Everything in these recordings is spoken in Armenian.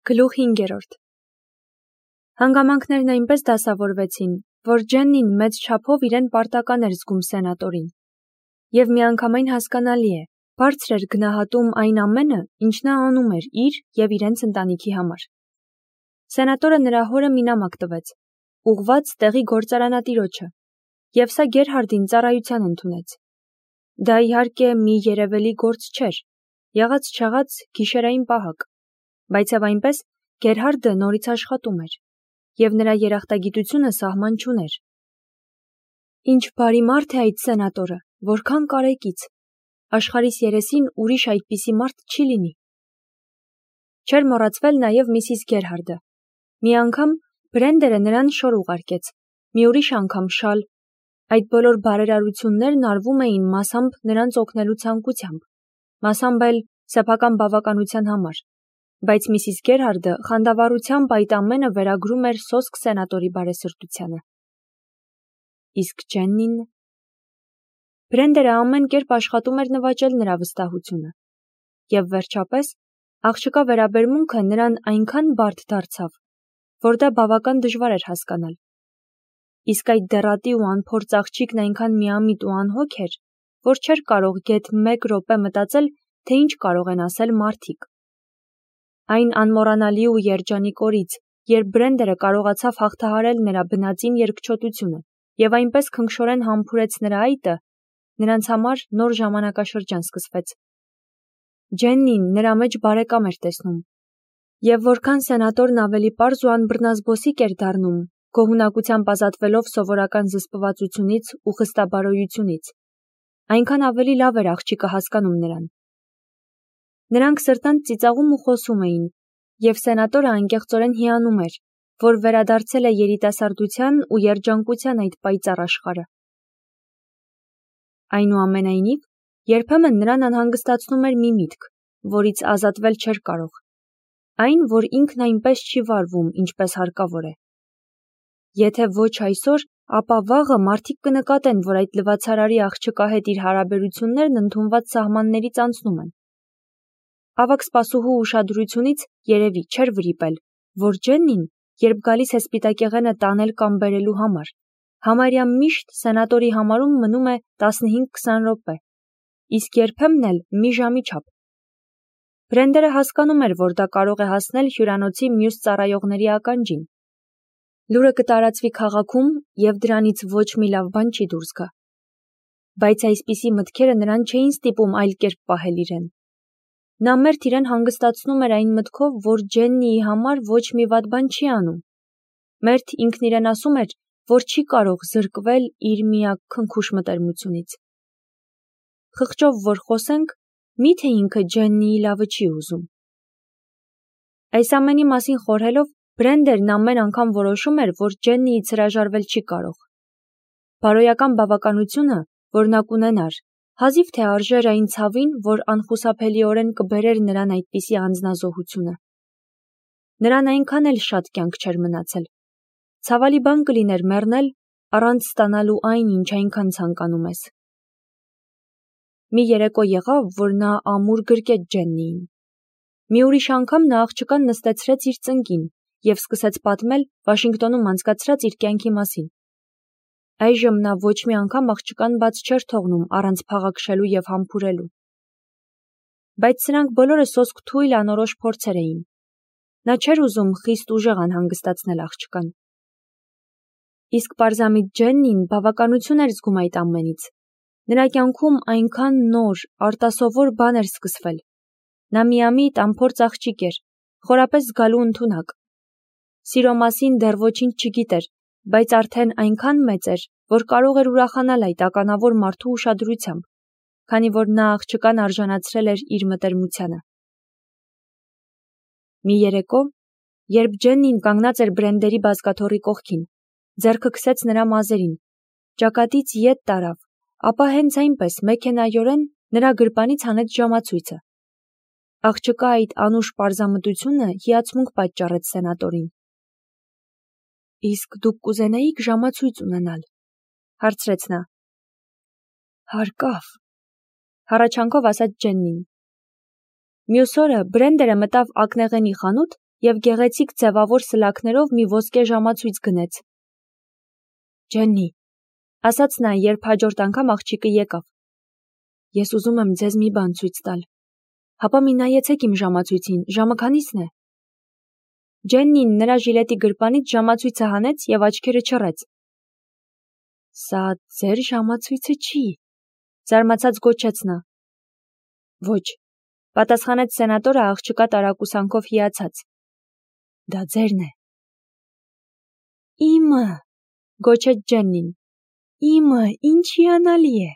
Գլուխ 5. Հանգամանքներն այնպես դասավորվեցին, որ Ջեննին մեծ չափով իրեն պարտական էր զգում սենատորին։ Եվ միանգամայն հասկանալի է, բարձր էր գնահատում այն ամենը, ինչ նա անում էր իր և իրենց ընտանիքի համար։ Սենատորը նրա հորը մի նամակ տվեց, ուղղված տեղի գործարանատիրոջը, և սա Գերհարդին ծառայության ընդունեց։ Դա իհարկե մի երևելի գործ չէր, եղած-չեղած գիշերային պահակ, բայց և այնպես Գերհարդը նորից աշխատում էր, և նրա երախտագիտությունը սահման չուներ։ Ինչ բարի մարդ է այդ սենատորը, որքան կարեկից, աշխարհիս երեսին ուրիշ այդպիսի մարդ չի լինի։ Չէր մոռացվել նաև Միսիս Գերհարդը։ Մի անգամ Բրենդերը նրան շոր ուղարկեց, մի ուրիշ անգամ շալ։ Այդ բոլոր բարերարություններն արվում էին մասամբ նրանց օգնելու ցանկությամբ, մասամբ էլ սեփական բավականության համար, բայց Միսիս Գերհարդը խանդավառությամբ այդ ամենը վերագրում էր սոսկ սենատորի բարեսրտությանը։ Իսկ Ջեննին… Բրենդերը ամեն կերպ աշխատում էր նվաճել նրա վստահությունը, և վերջապես աղջկա վերաբերմունքը նրան այնքան բարդ դարձավ, որ դա բավական դժվար էր հասկանալ։ Իսկ այդ դեռատի ու անփորձ աղջիկն այնքան միամիտ ու անհոգ էր, որ չէր կարող գեթ մեկ րոպե մտածել, թե ինչ կարող են ասել մարդիկ։ Այն անմոռանալի ու երջանիկ օրից, երբ Բրենդերը կարողացավ հաղթահարել նրա բնածին երկչոտությունը և այնպես քնքշորեն համբուրեց նրա այտը, նրանց համար նոր ժամանակաշրջան սկսվեց։ Ջեննին նրա մեջ բարեկամ էր տեսնում, և որքան սենատորն ավելի պարզ ու անբռնազբոսիկ էր դառնում, գոհունակությամբ ազատվելով սովորական զսպվածությունից ու խստաբարոյությունից, այնքան ավելի լավ էր աղջիկը հասկանում նրան։ Նրանք սրտանց ծիծաղում ու խոսում էին, և սենատորը անկեղծորեն հիանում էր, որ վերադարձել է երիտասարդության ու երջանկության այդ պայծառ աշխարհը։ Այնուամենայնիվ, երբեմն նրան անհանգստացնում էր մի միտք, որից ազատվել չէր կարող, այն, որ ինքն այնպես չի վարվում, ինչպես հարկավոր է։ Եթե ոչ այսօր, ապա վաղը մարդիկ կնկատեն, որ այդ լվացարարի աղջկա հետ իր հարաբերություններն ընդունված սահմաններից անցնում են։ Ավագ սպասուհու ուշադրությունից երևի չէր վրիպել, որ Ջեննին, երբ գալիս է սպիտակեղենը տանել կամ բերելու համար, համարյա միշտ սենատորի համարում մնում է 15-20 րոպե, իսկ երբեմն էլ մի ժամի չափ։ Բրենդերը հասկանում էր, որ դա կարող է հասնել հյուրանոցի մյուս ծառայողների ականջին։ Լուրը կտարածվի քաղաքում, և դրանից ոչ մի լավ բան չի դուրս գա։ Բայց այսպիսի մտքերը նրան չէին ստիպում այլ կերպ պահել իրեն։ Նա մերթ իրեն հանգստացնում էր այն մտքով, որ Ջեննիի համար ոչ մի վատ բան չի անում։ Մերթ ինքն իրեն ասում էր, որ չի կարող զրկվել իր միակ քնքուշ մտերմությունից։ Խղճով որ խոսենք, մի՞թե ինքը Ջեննիի լավը չի ուզում։ Այս ամենի մասին խորհելով, Բրենդերն ամեն անգամ որոշում էր, որ Ջեննիից հրաժարվել չի կարող։ Բարոյական բավականությունը, որ նա կունենար, հազիվ թե արժեր այն ցավին, որ անխուսափելիորեն կբերեր նրան այդպիսի անձնազոհությունը։ Նրան այնքան էլ շատ կյանք չէր մնացել։ Ցավալի բան կլիներ մեռնել, առանց ստանալու այն, ինչ այնքան ցանկանում ես։ Մի երեկո եղավ, որ նա ամուր գրկեց Ջեննիին։ Մի ուրիշ անգամ նա աղջկան նստեցրեց իր ծնկին և սկսեց պատմել Վաշինգտոնում անցկացրած իր կյանքի մասին։ Այժմ նա ոչ մի անգամ աղջկան բաց չէր թողնում առանց փաղաքշելու և համբուրելու։ Բայց սրանք բոլորը սոսկ թույլ անորոշ փորձեր էին։ Նա չէր ուզում խիստ ուժեղ անհանգստացնել աղջկան։ Իսկ պարզամիտ Ջեննին բավականություն էր զգում այդ ամենից։ Նրա կյանքում այնքան նոր, արտասովոր բան էր սկսվել։ Նա միամիտ անփորձ աղջիկ էր, խորապես զգալու ընդունակ։ Սիրո մասին դեռ ոչինչ չգիտեր, բայց արդեն այնքան մեծ էր, որ կարող էր ուրախանալ այդ ականավոր մարդու ուշադրությամբ, քանի որ նա աղջկան արժանացրել էր իր մտերմությանը։ Մի երեկո, երբ Ջեննին կանգնած էր Բրենդերի բազկաթոռի կողքին, ձեռքը քսեց նրա մազերին, ճակատից ետ տարավ, ապա հենց այնպես մեքենայորեն նրա գրպանից հանեց ժամացույցը։ Աղջկա այդ անուշ պարզամտությունը հիացմունք պատճառեց սենատորին։ Իսկ դուք կուզենայիք ժամացույց ունենալ, հարցրեց նա։ Հարկավ, հառաչանքով ասաց Ջեննին։ Մյուս օրը Բրենդերը մտավ ակնեղենի խանութ և գեղեցիկ ձևավոր սլաքներով մի ոսկե ժամացույց գնեց։ Ջեննի, ասաց նա, երբ հաջորդ անգամ աղջիկը եկավ։ Ես ուզում եմ ձեզ մի բան ցույց տալ։ Հապա մի նայեցեք իմ ժամացույցին, ժամը քանիսն է։ Ջեննին նրա ժիլետի գրպանից ժամացույցը հանեց և աչքերը չռեց։ Սա ձեր ժամացույցը չի, զարմացած գոչեց նա։ Ոչ, պատասխանեց սենատորը աղջկա տարակուսանքով հիացած։ Դա ձերն է։ Իմը, գոչեց Ջեննին։ Իմը, ինչ հիանալի է։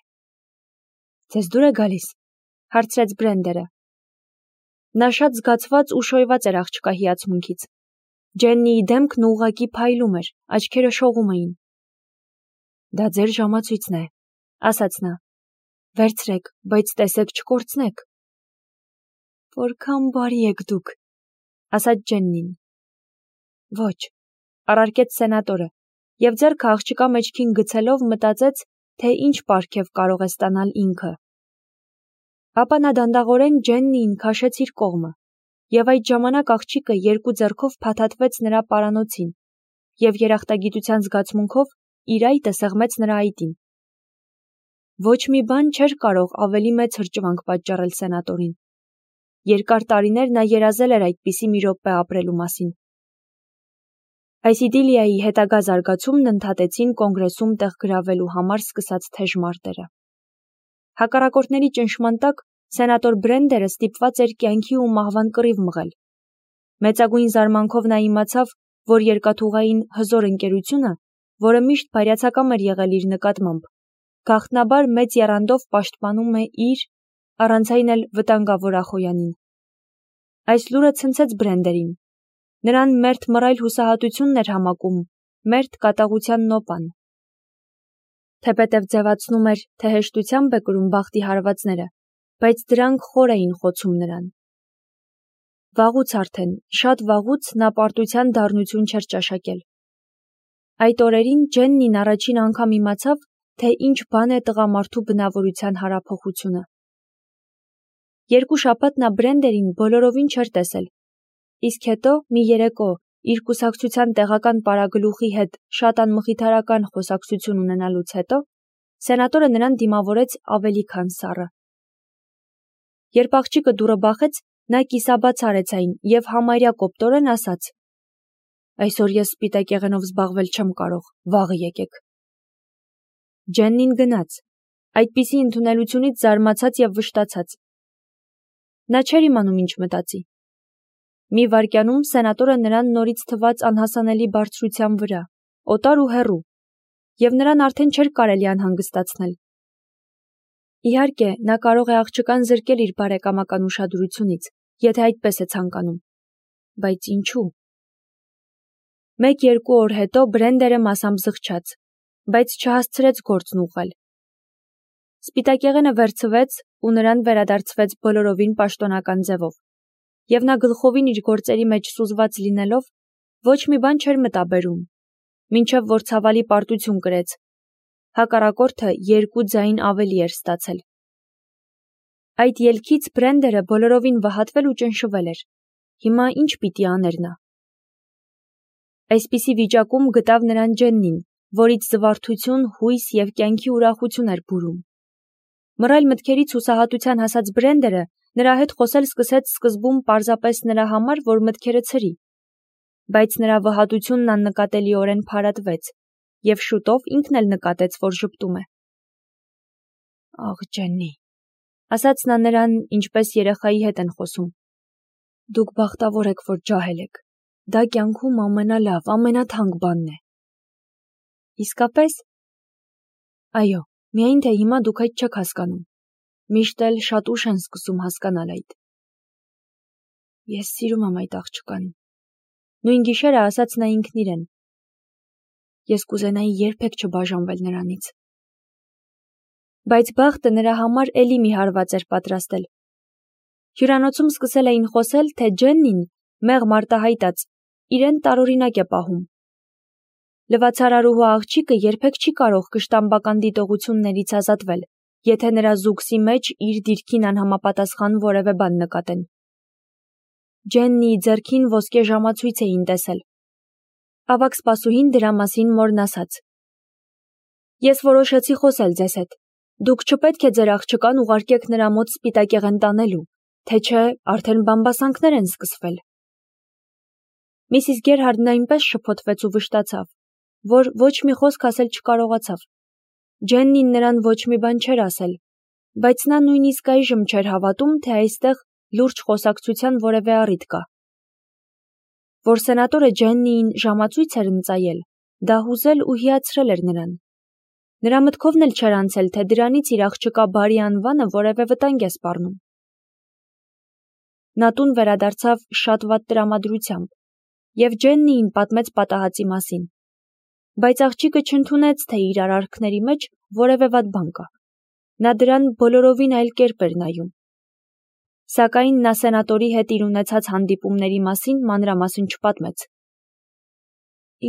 Ձեզ դուր է գալիս, հարցրեց Բրենդերը։ Նա շատ զգացված ու շոյված էր աղջկա հիացմունքից։ Ջեննիի դեմքն ուղղակի փայլում էր, աչքերը շողում էին։ Դա ձեր ժամացույցն է, ասաց նա։ Վերցրեք, բայց տեսեք չկորցնեք։ Որքան բարի եք դուք, ասաց Ջեննին։ Ոչ, առարկեց սենատորը, և ձեռքը աղջկա մեջքին գցելով մտածեց, թե ինչ պարգև կարող է ստանալ ինքը։ Ապա նա դանդաղորեն Ջեննիին քաշեց իր կողմը, և այդ ժամանակ աղջիկը երկու ձեռքով փաթաթվեց նրա պարանոցին, և երախտագիտության զգացմունքով իր այտը սեղմեց նրա այտին։ Ոչ մի բան չէր կարող ավելի մեծ հրճվանք պատճառել սենատորին։ Երկար տարիներ նա երազել էր այդպիսի մի րոպե ապրելու մասին։ Այս իդիլիայի հետագա զարգացումն ընդհատեցին կոնգրեսում տեղ գրավելու համար սկսած թեժ մարտերը։ Հակառակորդների ճնշման տակ սենատոր Բրենդերը ստիպված էր կյանքի ու մահվան կռիվ մղել։ Մեծագույն զարմանքով նա իմացավ, որ երկաթուղային հզոր ընկերությունը, որը միշտ բարյացակամ էր եղել իր նկատմամբ, գաղտնաբար մեծ եռանդով պաշտպանում է իր, առանց այն էլ վտանգավոր Ախոյանին։ Այս լուրը ցնցեց Բրենդերին։ Նրան մերթ մռայլ հուսահատությունն էր համակում, մերթ կատաղության նոպան։ Թեպետև ձևացնում էր, թե հեշտությամբ է կրում բախտի հարվածները, բայց դրանք խոր էին խոցում նրան։ Վաղուց արդեն, շատ վաղուց նա պարտության դառնություն չէր ճաշակել։ Այդ օրերին Ջեննին առաջին անգամ իմացավ, թե ինչ բան է տղամարդու բնավորության հարափոխությունը։ Երկու շաբաթ նա Բրենդերին բոլորովին չէր տեսել, իսկ հետո մի երեկո իր կուսակցության տեղական պարագլուխի հետ շատ անմխիթարական խոսակցություն ունենալուց հետո սենատորը նրան դիմավորեց ավելի քան սառը։ Երբ աղջիկը դուռը բախեց, նա կիսաբաց արեց այն և համարյա կոպտորեն ասաց. Այսօր ես սպիտակեղենով զբաղվել չեմ կարող, վաղը եկեք։ Ջեննին գնաց, այդպիսի ընդունելությունից զարմացած և վշտացած։ Նա չէր իմանում ինչ մտածի։ Մի վայրկյանում սենատորը նրան նորից թվաց անհասանելի բարձրության վրա, օտար ու հեռու, և նրան արդեն չէր կարելի անհանգստացնել։ Իհարկե, նա կարող է աղջկան զրկել իր բարեկամական ուշադրությունից, եթե այդպես է ցանկանում։ Բայց ինչու։ Մեկ-երկու օր հետո Բրենդերը մասամբ զղջաց, բայց չհասցրեց գործն ուղղել։ Սպիտակեղենը վերցվեց ու նրան վերադարձվեց բոլորովին պաշտոնական ձևով, և նա գլխովին իր գործերի մեջ սուզված լինելով, ոչ մի բան չէր մտաբերում, մինչև որ ցավալի պարտություն կրեց։ Հակառակորդը 2 ձայն ավելի էր ստացել։ Այդ ելքից Բրենդերը բոլորովին վհատվել ու ճնշվել էր։ Հիմա ինչ պիտի աներ նա։ Այսպիսի վիճակում գտավ նրան Ջեննին, որից զվարթություն, հույս և կյանքի ուրախություն էր բուրում։ Մռայլ մտքերից հուսահատության հասած Բրենդերը նրա հետ խոսել սկսեց սկզբում պարզապես նրա համար, որ մտքերը ցրի, բայց նրա վհատությունն աննկատելիորեն փարատվեց, և շուտով ինքն էլ նկատեց, որ ժպտում է։ Աղ, Ջեննի, ասաց նա նրան, ինչպես երեխայի հետ են խոսում։ Դուք բախտավոր եք, որ ջահել եք։ Դա կյանքում ամենալավ, ամենաթանկ բանն է։ Իսկապես։ Այո, միայն թե հիմա դուք այդ չեք հասկանում։ Միշտ էլ շատ ուշ են սկսում հասկանալ այդ։ Ես սիրում եմ այդ աղջկան։ Նույն գիշերը ասաց նա ինքն իրեն։ Ես կուզենայի երբեք չբաժանվել նրանից։ Բայց բախտը նրա համար էլի մի հարված էր պատրաստել։ Հյուրանոցում սկսել էին խոսել, թե Ջեննին, մեղմ արտահայտած, իրեն տարօրինակ է պահում։ Լվացարարուհու աղջիկը երբեք չի կարող կշտամբական դիտողություններից ազատվել, եթե նրա զուգսի մեջ իր դիրքին անհամապատասխան որևէ բան նկատեն։ Ջեննիի ձեռքին ոսկե ժամացույց էին տեսել։ Ավագ սպասուհին դրա մասին մորն ասաց. Ես որոշեցի խոսել ձեզ հետ։ Դուք չպետք է ձեր աղջկան ուղարկեք նրա մոտ սպիտակեղեն տանելու, թե չէ արդեն բամբասանքներ են սկսվել։ Միսիս Գերհարդն այնպես շփոթվեց ու վշտացավ, որ ոչ մի խոսք ասել չկարողացավ։ Ջեննին նրան ոչ մի բան չէր ասել, բայց նա նույնիսկ այժմ չէր հավատում, թե այստեղ լուրջ խոսակցության որևէ առիթ կա։ Որ սենատորը Ջեննիին ժամացույց էր ընծայել, դա հուզել ու հիացրել էր նրան։ Նրա մտքովն էլ չէր անցել, թե դրանից իր աղջկա բարի անվանը որևէ վտանգ է սպառնում։ Նա տուն վերադարձավ շատ վատ տրամադրությամբ և Ջեննիին պատմեց պատահածի մասին, բայց աղջիկը չընդունեց, թե իր արարքների մեջ որևէ վատ բան կա։ Նա դրան բոլորովին այլ կերպ էր նայում։ Սակայն նա սենատորի հետ իր ունեցած հանդիպումների մասին մանրամասն չպատմեց։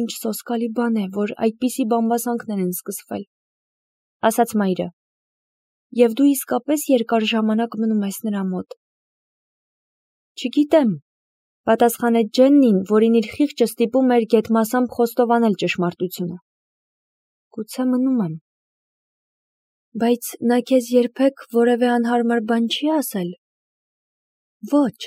Ինչ սոսկալի բան է, որ այդպիսի բամբասանքներ են սկսվել, ասաց մայրը, և դու իսկապես երկար ժամանակ մնում ես նրա մոտ։ Չգիտեմ, պատասխանեց Ջեննին, որին իր խիղճը ստիպում էր գեթմասամբ խոստովանել ճշմարտությունը։ Գուցե մնում եմ։ Բայց նա քեզ երբեք որևէ անհարմար բան չի ասել։ Ոչ,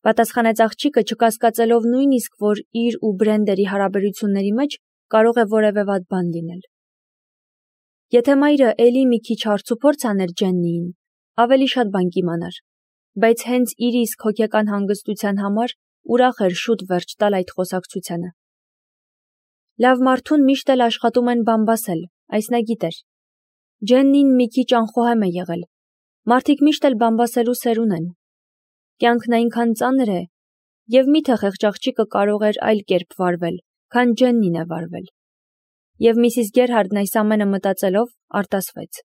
պատասխանեց աղջիկը, չկասկածելով նույնիսկ, որ իր ու Բրենդերի հարաբերությունների մեջ կարող է որևէ վատ բան լինել։ Եթե մայրը էլի մի քիչ հարցուփորձ աներ Ջեննիին, ավելի շատ բան կիմանար, բայց հենց իր իսկ հոգեկան հանգստության համար ուրախ էր շուտ վերջ տալ այդ խոսակցությանը։ Լավ մարդուն միշտ էլ աշխատում են բամբասել, այս նա գիտեր։ Ջեննին մի քիչ անխոհեմ է եղել։ Մարդիկ միշտ էլ բամբասելու սեր ունեն։ Կյանքն այնքան ծանր է, և միթե խեղճ աղջիկը կարող էր այլ կերպ վարվել, քան Ջեննին է վարվել։ Եվ Միսիս Գերհարդն այս ամենը մտածելով արտասվեց։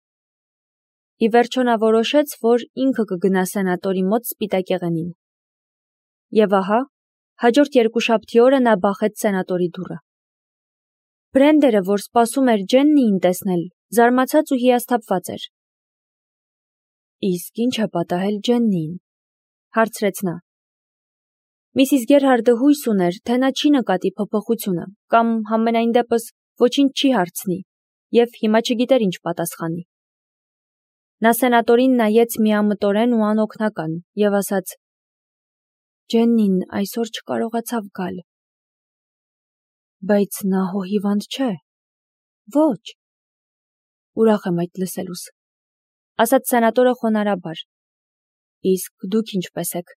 Ի վերջո նա որոշեց, որ ինքը կգնա սենատորի մոտ սպիտակեղենին։ Եվ ահա, հաջորդ երկուշաբթի օրը նա բախեց սենատորի դուռը։ Բրենդերը, որ սպասում էր Ջեննիին տեսնել, զարմացած ու հիասթափված էր։ Իսկ ինչ է պատահել Ջեննիին, հարցրեց նա։ Միսիս Գերհարդը հույս ուներ, թե նա չի նկատի փոփոխությունը, կամ համենայն դեպս ոչինչ չի հարցնի, և հիմա չգիտեր ինչ պատասխանի։ Նա սենատորին նայեց միամտորեն ու անօգնական և ասաց. Ջեննին այսօր չկարողացավ գալ։ Բայց նա հիվանդ չէ։ Ոչ։ Ուրախ եմ այդ լսելուց, ասաց սենատորը խոնարհաբար։ Իսկ դուք ինչպես եք։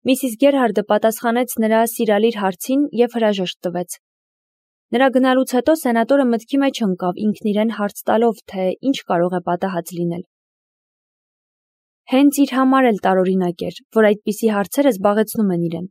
Միսիս Գերհարդը պատասխանեց նրա սիրալիր հարցին և հրաժեշտ տվեց։ Նրա գնալուց հետո սենատորը մտքի մեջ ընկավ ինքն իրեն հարց տալով, թե ինչ կարող է պատահած լինել։ Հենց իր համար էլ տարօրինակ էր, որ այդպիսի հարցերը զբաղեցնում են իրեն։